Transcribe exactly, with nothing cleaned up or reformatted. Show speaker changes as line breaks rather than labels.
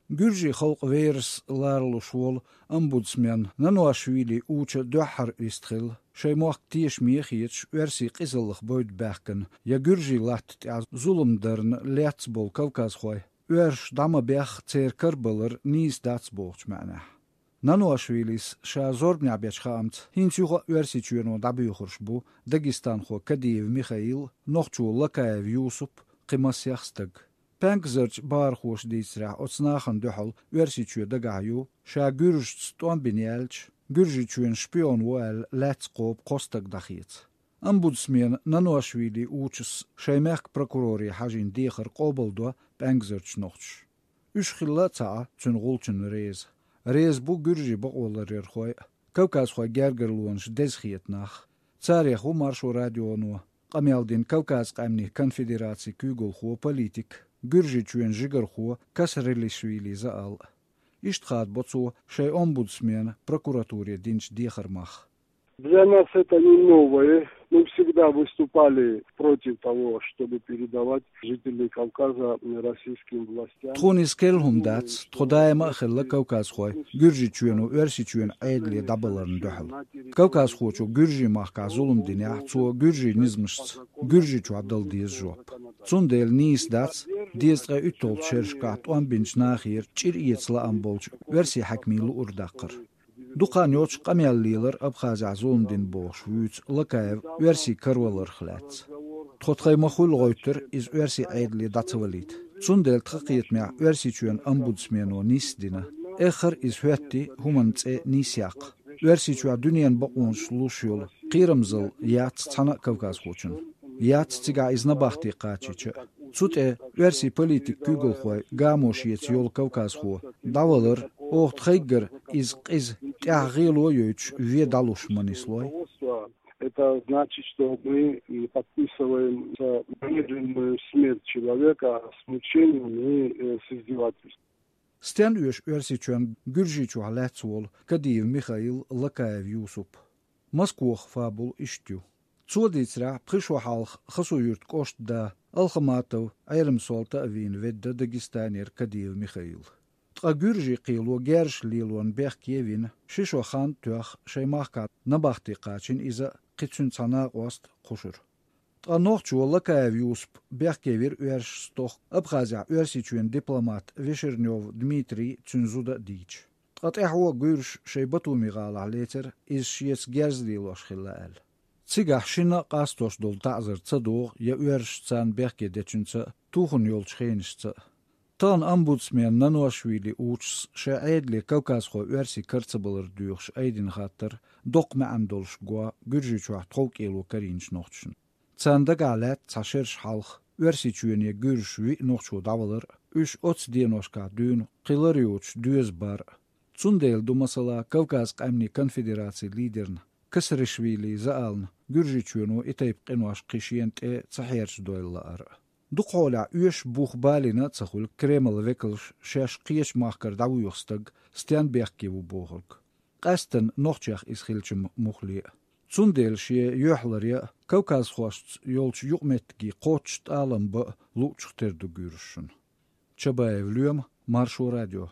Gürji halk veirs lārlušvol ombudsman Nanoashvili uça duahar isthil, šai moak tiesh miechiech versi qizalach boid bähken, ja Gürji lat ja zulumdarn leatsbol Kaukazhoi, versh dama bäch tseer karbalar niis datsbolch määnä. Nanoashvilis šā zorbņābiečh hāmts, hinčuha versičueno dabiuhuršbu, Dagistanho Kadiev Mikhail, nohču Lakaev Jūsup, qimasjahstag. Pankzarch bārhoš dīsrā otsnāhan duhal versiču dagāju, šā güržts tombinielč, güržičuen špion voel letskop kostag dahiets. Ombudsman Nanoashvili učus šai merk prokurori hajin dīkhar qobaldo Pankzarch nohč. Ushkhilla taa tsun gulchun reiz. Reiz bu Gürji boqolar erxoy, Kaukazhoi gergerluonsh dezhietnach, Tsariehu marsho radiono, Qamyaldin Kaukaz qamni konfederaci kügulxo politik, Gürji çuen jigarxo Kasrilishvili zaal. Ishtxaat boco šai ombudsman прокуратуре dinch dīkharmach.
Для нас это не новое. Мы всегда выступали против того, чтобы передавать жителей Кавказа российским властям.
Тхонис келхум дац, тходаема хелла Kaukazhoi, Gürji çuenu versi çuen aydli dabalarını duhal. Kaukazhoi ço Gürji mahka zulum dinya, ço Gürji nizmishts, Gürji ço abdal diz job. Tsundel nis dac, dizga ütol çerşkat on binç nahir, çir iyetsla ambolç, versi hakmilu urdaqır. Duqan yoç qamyalliler Abxazia zulumdin boş vüts Lakaev versi karvalar xlats. Txotxay maxul goyter iz versi aydli datsvalit. Tsundel txaqiyetmea versi çuen ombudsmano nisdina. Ekhar iz hüetti humantse nisyaq. Versi çua dünyen baqunş luşyol qiramzıl yats tsana Kaukazhochun. Yats tsiga iz nabaxti qachicha. Tsute versi politik kügulxoy gamoshiyets yol Kaukazho. Davalar oht xaygar iz qiz тягило юч ведалуш манислой.
Это значит, что мы подписываем немедленную смерть человека с мучением и с издевательством.
Стен üş versiçön Gürjiçu Halatsuol Kadiev Mikhail Lakaev Jūsup. Moskvoh fabul iştü. Tsoditsra prisho halx khasuyurt koştda Alkhamatov ayrım solta avin vedda Dagistanir Kadiev Mikhail. Tqa Gürji qilo gersh lilon Berkevin, shisho khan tuach shaymahkat nabaxti qachin iza qitsun tsana ost qushur. Tqa noqchu Lakaev Jūsup Berkevir uersh stoch Abxazia uersichuen diplomat Vishernov Dmitri Tsunzuda dich. Tqa tehwa Gürsh shaybatu miqala leter iz shiets gerzlilosh khilal. Tsigah shina qastos dol ta'zir tsadog ya uersh tsan Berke dechunsa tuhun yol chkhenishsa. Tan ombudsman Nanoashvili uçs şa aydli Kaukazho versi kartsabalar duyuqş aydin khatar doqma amdolsh gwa Gürji çuah tolk elo karinç noqçun. Tsanda galat tsashersh halx versi çüene Gürsh vi noqçu davalar üç ots dienoshka dün qilariuç düz bar. Tsundel du masala Kaukaz qamni konfederatsiya lidern Kasrishvili zaaln Gürji çüeno itayb qinwash qishiyent e tsahirsh doylar. Duqola üş buxbalina tsahul Kreml vekelsh shash qiyesh mahkar davuyuxstag Sternbergki bu bohulk. Qastan noqchach iskhilchim mukhli. Tsundel shie yuhlarya Kaukazhost yolch yuqmetgi qocht alamba luchterdu gürshun. Chabaev Lyum Marsho Radio.